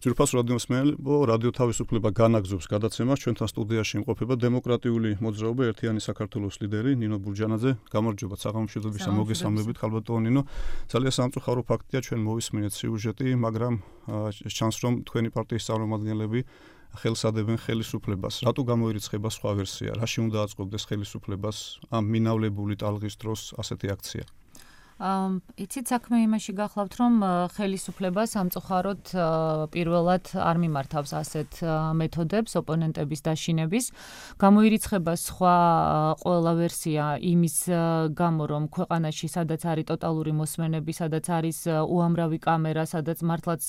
ძვირფას რადიოსმენელო, რადიო თავისუფლება განაგზობს გადაცემას, ჩვენთან სტუდიაში იმყოფება დემოკრატიული მოძრაობა ერთიანი საქართველოს ლიდერი ნინო ბურჯანაძე. გამარჯობა, საღამოშიდობისა, მოგესალმებით, ხალბატონო ნინო. ძალიან სამწუხარო ფაქტია, ჩვენ მოვისმინეთ სიუჟეტი, მაგრამ ჩანს რომ თქვენი პარტიის წარმომადგენლები ხელსადებენ ხელისუფლებას. რატო გამოირიცხება სხვა ვერსია? რაში უნდა აწყობდეს ხელისუფლებას ამ მინავლებული ტალღის დროს ასეთი აქცია? იცით საქმე იმაში გახლავთ, რომ ხელისუფლება სამწუხაროდ პირველად არ მიმართავს ასეთ მეთოდებს ოპონენტების დაშინების. გამოირიცხება სხვა ყველა ვერსია იმის გამო, რომ ქვეყანაში სადაც არის ტოტალური მოსმენები, სადაც არის უამრავი კამერა, სადაც მართლაც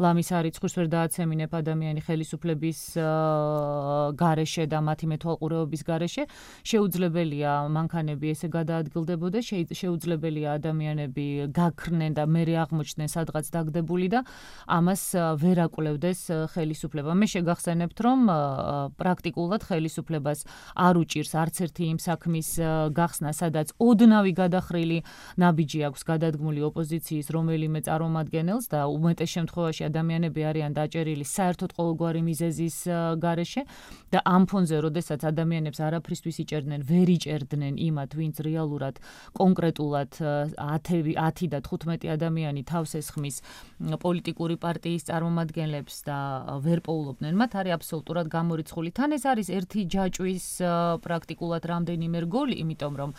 ლამის არიცხვირს ვერ დააცემინებ ადამიანი ხელისუფლების გარეშე და მათი მეთვალყურეობის გარეშე, შეუძლებელია მანქანები ესე გადაადგილდებოდა, შეუძლებელია ადამიანები გაქრნენ და მერე აღმოჩნდნენ სადღაც დაგდებული და ამას ვერ აკვლევდეს ხელისუფლება. მე შეგახსენებთ, რომ პრაქტიკულად ხელისუფლებას არ უჭირს არც ერთი იმ საქმის გახსნა, სადაც ოდნავი გადახრილი ნაბიჯი აქვს გადადგმული ოპოზიციის რომელიმე წარმომადგენელს და უმეტეს შემთხვევაში ადამიანები არიან დაჭერილი საერთოდ ყოველგვარი მიზეზის გარეშე და ამ ფონზე, როდესაც ადამიანებს არაფრისთვის იჭერდნენ, ვერ იჭერდნენ იმათ, ვინც რეალურად კონკრეტულად 10 და 15 ადამიანი თავს ესხმის პოლიტიკური პარტიის წარმომადგენლებს და ვერ პოულობდნენ მათ, არის აბსოლუტურად გამორიცხული. თან ეს არის ერთი ჯაჭვის პრაქტიკულად რამდენიმე რგოლი, იმიტომ რომ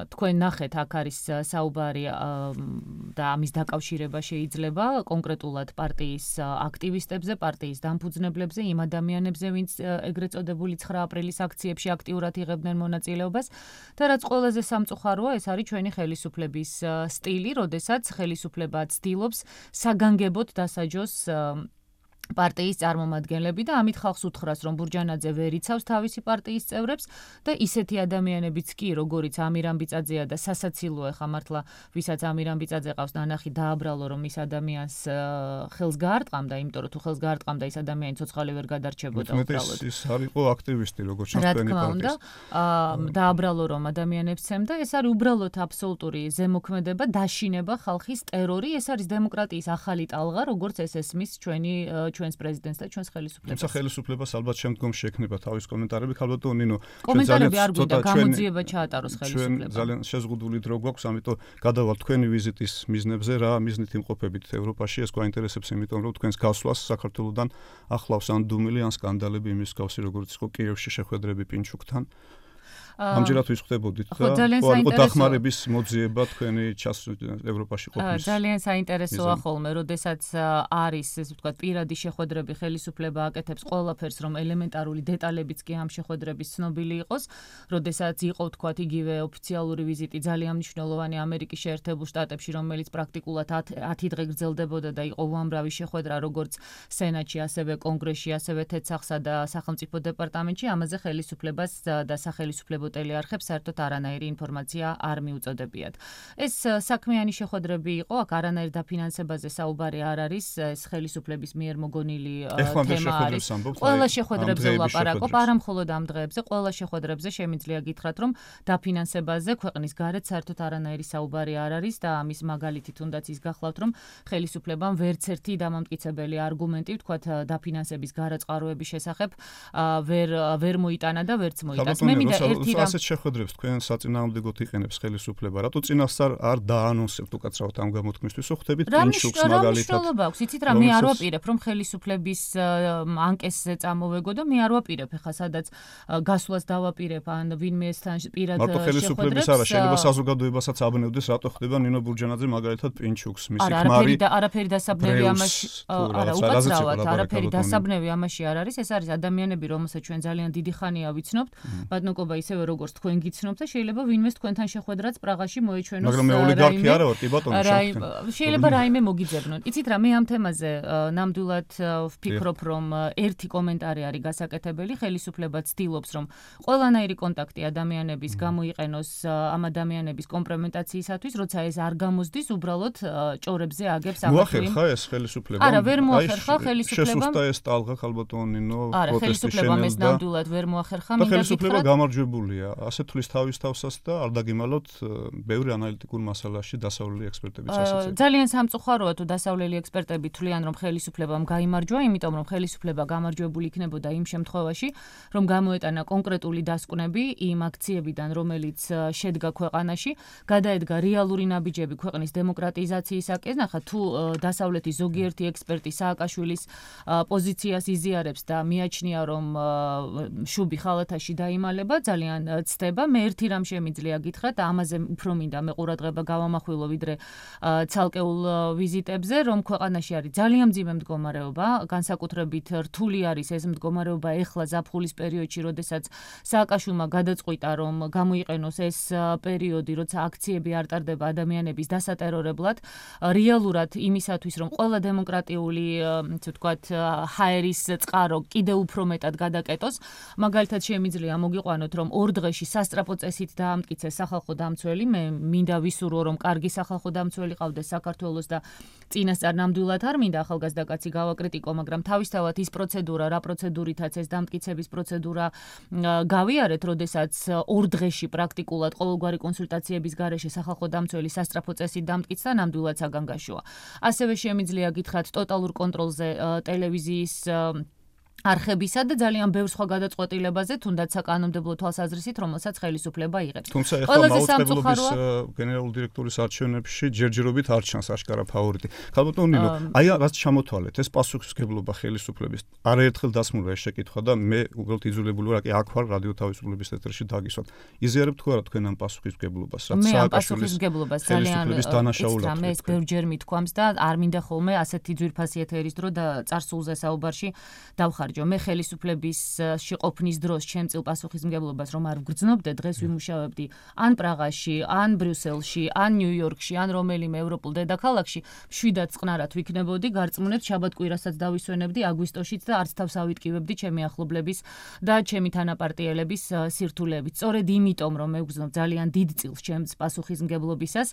თქვენ ნახეთ, აქ არის საუბარი და ამის დაკავშირება შეიძლება კონკრეტულად პარტიის აქტივისტებზე, პარტიის დამფუძნებლებზე, იმ ადამიანებზე, ვინც ეგრეთ წოდებული 9 აპრილის აქციებში აქტიურად იღებდნენ მონაწილეობას და რაც ყველაზე სამწუხაროა, ეს არის ჩვენი ხელისუფლების სტილი, როდესაც ხელისუფლება ცდილობს საგანგებოდ დასაჯოს პარტიის წარმომადგენლები და ამით ხალხს უთხრას, რომ ბურჯანაძე ვერ იცავს თავისი პარტიის წევრებს და ისეთი ადამიანებიც კი, როგორიც ამირან ბიწაძეა და სასაცილოა ხა მართლა, ვისაც ამირან ბიწაძე ყავს ნანახი დააბრალო, რომ ის ადამიანს ხელს გაარტყამდა, იმიტომ რომ თუ ხელს გაარტყამდა ის ადამიანი ცოცხალი ვერ გადარჩებოდა უბრალოდ. ის არ იყო აქტივისტი, როგორც ჩანს თქვენი პარტიის. დააბრალო რომ ადამიანებს ცემდა, ეს არის უბრალოდ აბსოლუტური ზემოქმედება, დაშინება, ხალხის ტერორი, ეს არის დემოკრატიის ახალი ტალღა, როგორც ეს ესმის ჩვენს პრეზიდენტს და ჩვენს ხელისუფლებას. თუმცა ხელისუფლებას ალბათ შემდგომში ექნება თავის კომენტარები, ხალბატონო ნინო. კომენტარები არ გვინდა, გამოძიება ჩაატაროს ხელისუფლებას. ძალიან შეზღუდული დრო გვაქვს, ამიტომ გადავალ თქვენი ვიზიტის მიზნებზე, რა მიზნით იმყოფებით ევროპაში, ეს გვაინტერესებს, იმიტომ რომ თქვენს გასვლას საქართველოსთან ახლავს ან დუმილი, ან სკანდალები იმის გავსი, როგორც იყო კიევში შეხვედრები პინჩუკთან. ამჯერად ვისხდებოდით და დახმარების მოძიება თქვენი ევროპაში ყოფნის. ძალიან საინტერესოა ხოლმე, როდესაც არის, ესე ვთქვათ, პირადი შეხვედრები, ხელისუფლება აკეთებს ყველაფერს, რომ ელემენტარული დეტალებიც კი ამ შეხვედრების ცნობილი იყოს, როდესაც იყო, ვთქვათ, იგივე ოფიციალური ვიზიტი ძალიან მნიშვნელოვანი ამერიკის შეერთებულ შტატებში, რომელიც პრაქტიკულად 10 დღე გრძელდებოდა და იყო უამრავი შეხვედრა, როგორც სენატში, ასევე კონგრესში, ასევე თეთრსახსა და სახელმწიფო დეპარტამენტში, ამაზე ხელისუფლებას და სახელისუფლებო ტელეარხებს საერთოდ არანაირი ინფორმაცია არ მიუწოდებიათ. ეს საქმიანი შეხვედრები იყო, აქ არანაირ დაფინანსებაზე საუბარი არ არის, ეს ხელისუფლების მიერ მოგონილი თემა არის. ყველა შეხვედრებზე ვლაპარაკობ, არა მხოლოდ ამ დღეებზე, ყველა შეხვედრებზე შემიძლია გითხრათ, რომ დაფინანსებაზე ქვეყნის გარეთ საერთოდ არანაირი საუბარი არ არის და ამის მაგალითი თუნდაც ის გახლავთ, რომ ხელისუფლებამ ვერც ერთი დამამტკიცებელი არგუმენტი, ვთქვათ, დაფინანსების გარაწყაროების შესახებ ვერ მოიტანა და ვერც მოიტანს. მე მინდა ერთი ასეთ შეხვედრებს თქვენ საწინააღმდეგოდ იყენებს ხელისუფლება. რატო წინასწარ არ დაანონსებთ უკაცრავად ამ გამოთქმისთვის? ხვდებით პინჩუკს მაგალითად. იცით რა, მე არ ვაპირებ, რომ ხელისუფლების ანკესზე წამოვეგო და მე არ ვაპირებ, ხა სადაც გასვლას დავაპირებ ან ვინმესთან პირად შეხვედრებს. მარტო ხელისუფლების არა, შეიძლება საზოგადოებასაც აბნევდეს, რატო ხდება ნინო ბურჯანაძე მაგალითად პინჩუკს, მისი ქმარი. არაფერი დასაბნევი ამაში არა, უკაცრავად, არაფერი დასაბნევი ამაში არ არის. ეს არის ადამიანები, რომელსაც ჩვენ ძალიან დიდი ხანია ვიცნობთ. ბატონობა ისევე როგორც თქვენ გიცნობთ და შეიძლება ვინმეს თქვენთან შეხვედრაც პრაღაში მოეჩვენოს. მაგრამ მე ოლიგარქი არა ვარ, კი ბატონო, შეიძლება რაიმე მოგიძებნონ. იცით რა, მე ამ თემაზე ნამდვილად ვფიქრობ, რომ ერთი კომენტარი არის გასაკეთებელი, ხელისუფლება ცდილობს, რომ ყველანაირი კონტაქტი ადამიანების გამოიყენოს ამ ადამიანების კომპრომეტაციისათვის, როცა ეს არ გამოსდის, უბრალოდ ჭორებზე აგებს ამას. მოახერხა ეს ხელისუფლება? არა, ვერ მოახერხა ხელისუფლება. შესუსტა ეს ტალღა ხალბატონო ნინო პროტესტის ხელისუფლებამ ეს ნამდვილად ვერ მოახერხა, მინდა გითხრათ. გამარჯვებული დაკავებულია. ასე თulis თავის თავსაც და არ დაგიმალოთ ბევრი ანალიტიკურ მასალაში დასავლელი ექსპერტებიც ასეც. ძალიან სამწუხაროა თუ დასავლელი ექსპერტები თვლიან რომ ხელისუფლებამ გაიმარჯვა, იმიტომ რომ ხელისუფლება გამარჯვებული იქნებოდა იმ შემთხვევაში, რომ გამოეტანა კონკრეტული დასკვნები იმ აქციებიდან, რომელიც შედგა ქვეყანაში, გადაედგა რეალური ნაბიჯები ქვეყნის დემოკრატიზაციისაკენ. ახლა თუ დასავლეთის ზოგიერთი ექსპერტი სააკაშვილის პოზიციას იზიარებს და მიაჩნია რომ შუბი ხალათაში დაიმალება, ძალიან ცდება. მე ერთი რამ შემიძლია გითხრათ, ამაზე უფრო მინდა მე ყურადღება გავამახვილო ვიდრე ცალკეულ ვიზიტებზე, რომ ქვეყანაში არის ძალიან მძიმე მდგომარეობა, განსაკუთრებით რთული არის ეს მდგომარეობა ეხლა ზაფხულის პერიოდში, როდესაც სააკაშვილმა გადაწყვიტა რომ გამოიყენოს ეს პერიოდი, როცა აქციები არ ტარდება ადამიანების დასატერორებლად, რეალურად იმისათვის, რომ ყველა დემოკრატიული, ასე ვთქვათ, ჰაერის წყარო კიდევ უფრო მეტად გადაკეტოს, მაგალითად შემიძლია მოგიყვანოთ, რომ ორ დღეში სასტრაფო წესით დაამტკიცეს სახალხო დამცველი, მე მინდა ვისურვო, რომ კარგი სახალხო დამცველი ყავდეს საქართველოს და წინასწარ ნამდვილად არ მინდა ახალგაზრდა კაცი გავაკრიტიკო, მაგრამ თავისთავად ის პროცედურა, რა პროცედურითაც ეს დამტკიცების პროცედურა გავიარეთ, როდესაც ორ დღეში პრაქტიკულად ყოველგვარი კონსულტაციების გარეშე სახალხო დამცველი სასტრაფო წესით დამტკიცდა, ნამდვილად საგანგაშოა. ასევე შემიძლია გითხრათ ტოტალურ კონტროლზე ტელევიზიის არხებისა და ძალიან ბევრ სხვა გადაწყვეტილებაზე, თუნდაც საკანონმდებლო თვალსაზრისით, რომელსაც ხელისუფლება იღებს. თუმცა ეხლა მაუწყებლობის გენერალური დირექტორის არჩევნებში ჯერჯერობით არ ჩანს აშკარა ფავორიტი. ხალბატონ ნინო, აი რაც ჩამოთვალეთ, ეს პასუხისმგებლობა ხელისუფლების არაერთხელ დასმულდა ეს შეკითხვა და მე უბრალოდ იძულებული ვარ, აქ ვარ რადიო თავისუფლების ეთერში დაგისვათ. იზიარებთ თუ არა თქვენ ამ პასუხისმგებლობას, რაც სააკაშვილის ხელისუფლების დანაშაულად. მე ეს ბევრჯერ მithქვამს და არ მინდა ხოლმე ასეთი ძვირფასი ეთერის დრო და წარსულზე საუბარში დავხარ მე ხელისუფლებისში ყოფნის დროს ჩემწილ პასუხისმგებლობას რომ არ ვგრძნობდე, დღეს ვიმუშავებდი ან პრაღაში, ან ბრიუსელში, ან ნიუ-იორკში, ან რომელიმე ევროპულ დედაქალაქში, მშვიდად წყნარად ვიქნებოდი, გარწმუნებთ შაბათ-კვირასაც დავისვენებდი აგვისტოშიც და არც თავს ავიტკივებდი ჩემი ახლობლების და ჩემი თანაპარტიელების სირთულეებით. სწორედ იმიტომ რომ მე ვგრძნობ ძალიან დიდ წილს ჩემს პასუხისმგებლობისას,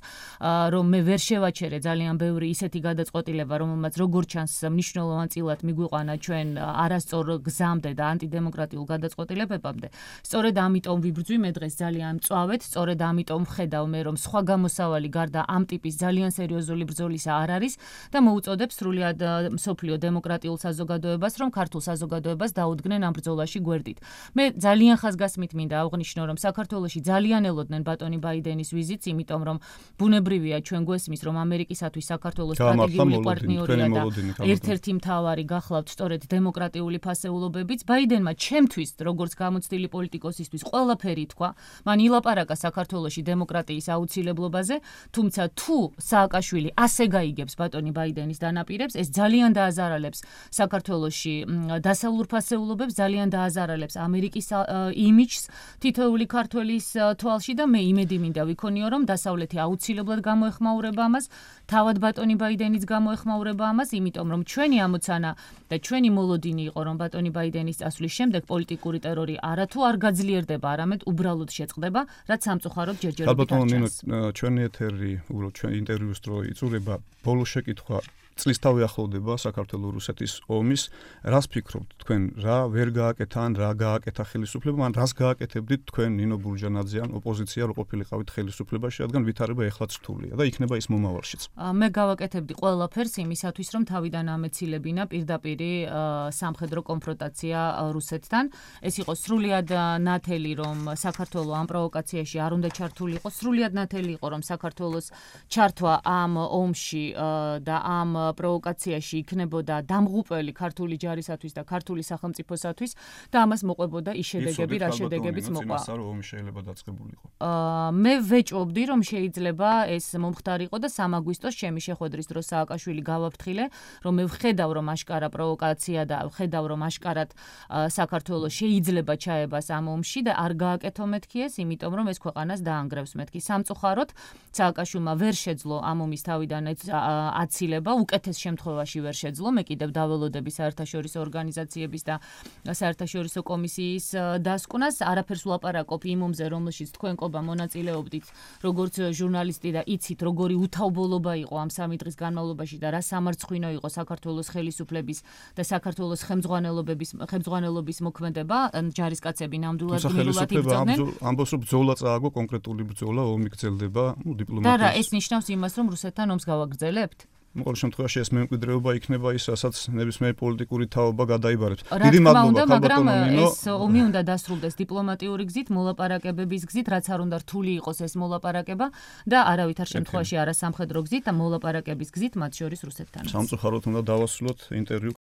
რომ მე ვერ შევაჩერე ძალიან ბევრი ისეთი გადაწყვეტილება, რომელმაც როგორ ჩანს მნიშვნელოვან წილად მიგვიყვანა ჩვენ არასწორ გზამდე და ანტიდემოკრატიულ გადაწყვეტილებებამდე. სწორედ ამიტომ ვიბრძვი მე დღეს ძალიან მწვავედ, სწორედ ამიტომ ვხედავ მე რომ სხვა გამოსავალი გარდა ამ ტიპის ძალიან სერიოზული ბრძოლისა არ არის და მოუწოდებ სრულად მსოფლიო დემოკრატიულ საზოგადოებას, რომ ქართულ საზოგადოებას დაუდგნენ ამ ბრძოლაში გვერდით. მე ძალიან ხაზგასმით მინდა აღვნიშნო, რომ საქართველოში ძალიან ელოდნენ ბატონი ბაიდენის ვიზიტს, იმიტომ რომ ბუნებრივია ჩვენ გვესმის, რომ ამერიკისათვის საქართველოს სტრატეგიული პარტნიორია და ერთ-ერთი მთავარი გახლავთ სწორედ დემოკრატიული ფასეულობებიც. ბაიდენმა ჩემთვის, როგორც გამოცდილი პოლიტიკოსისთვის, ყველაფერი თქვა. მან ილაპარაკა საქართველოში დემოკრატიის აუცილებლობაზე, თუმცა თუ სააკაშვილი ასე გაიგებს ბატონი ბაიდენის დანაპირებს, ეს ძალიან დააზარალებს საქართველოში დასავლურ ფასეულობებს, ძალიან დააზარალებს ამერიკის იმიჯს თითოეული ქართველის თვალში და მე იმედი მინდა ვიქონიო, რომ დასავლეთი აუცილებლად გამოეხმაურება ამას, თავად ბატონი ბაიდენიც გამოეხმაურება ამას, იმიტომ რომ ჩვენი ამოცანა და ჩვენი მოლოდინი იყო, რომ ბატონი ბაიდენის წასვლის შემდეგ პოლიტიკური ტერორი არათუ არ გაძლიერდება, არამედ უბრალოდ შეწყდება, რაც სამწუხაროდ ჯერჯერობით არ ჩანს. ჩვენი ეთერი, უბრალოდ ჩვენ ინტერვიუს დრო იწურება, ბოლო შეკითხვა წლისთავი ახლოვდება საქართველო-რუსეთის ომის. რას ფიქრობთ თქვენ, რა ვერ გააკეთა ან რა გააკეთა ხელისუფლებამ, ან რას გააკეთებდით თქვენ ნინო ბურჯანაძე ან ოპოზიცია რო ყოფილიყავით ხელისუფლებაში, რადგან ვითარება ეხლაც რთულია და იქნება ის მომავალშიც. მე გავაკეთებდი ყველაფერს იმისათვის, რომ თავიდან ამეცილებინა პირდაპირი სამხედრო კონფრონტაცია რუსეთთან. ეს იყო სრულიად ნათელი, რომ საქართველო ამ პროვოკაციაში არ უნდა ჩართულიყო, სრულიად ნათელი იყო, რომ საქართველოს ჩართვა ამ ომში და ამ პროვოკაციაში იქნებოდა დამღუპველი ქართული ჯარისათვის და ქართული სახელმწიფოსათვის და ამას მოყვებოდა ის შედეგები, რა შედეგებიც მოყვა. მე ვეჭვობდი, რომ შეიძლება ეს მომხდარიყო და 3 აგვისტოს ჩემი შეხვედრის დროს სააკაშვილი გავაფრთხილე, რომ მე ვხედავ, რომ აშკარა პროვოკაცია და ვხედავ, რომ აშკარად საქართველოს შეიძლება ჩაებას ამ ომში და არ გააკეთო მეთქი ეს, იმიტომ რომ ეს ქვეყანას დაანგრევს მეთქი. სამწუხაროდ სააკაშვილმა ვერ შეძლო ამ ომის თავიდან აცილება, უკეთეს შემთხვევაში ვერ შეძლო, მე კიდევ დაველოდები საერთაშორისო ორგანიზაციების და საერთაშორისო კომისიის დასკვნას, არაფერს ვლაპარაკობ იმ ომზე, რომელშიც თქვენ ყობა მონაწილეობდით, როგორც ჟურნალისტი და იცით, როგორი უთავბოლობა იყო ამ 3 დღის განმავლობაში და რა სამარცხვინო იყო საქართველოს ხელისუფლების და საქართველოს ხელმძღვანელობის მოქმედება, ჯარისკაცები ნამდვილად გმირულად იბრძოდნენ. ამბობს რომ ბრძოლა წააგო, კონკრეტული ბრძოლა, ომი გრძელდება, დიპლომატიის. და რა, ეს ნიშნავს იმას, რომ რუსეთთან ომს გავაგრძელებთ? ყოველ შემთხვევაში ეს მემკვიდრეობა იქნება ის, რასაც ნებისმიერი პოლიტიკური თაობა გადაიბარებს. დიდი მადლობა, მაგრამ ეს ომი უნდა დასრულდეს დიპლომატიური გზით, მოლაპარაკებების გზით, რაც არ უნდა რთული იყოს ეს მოლაპარაკება და არავითარ შემთხვევაში არა სამხედრო გზით და მოლაპარაკების გზით, მათ შორის რუსეთთან. სამწუხაროდ უნდა დავასრულოთ ინტერვიუ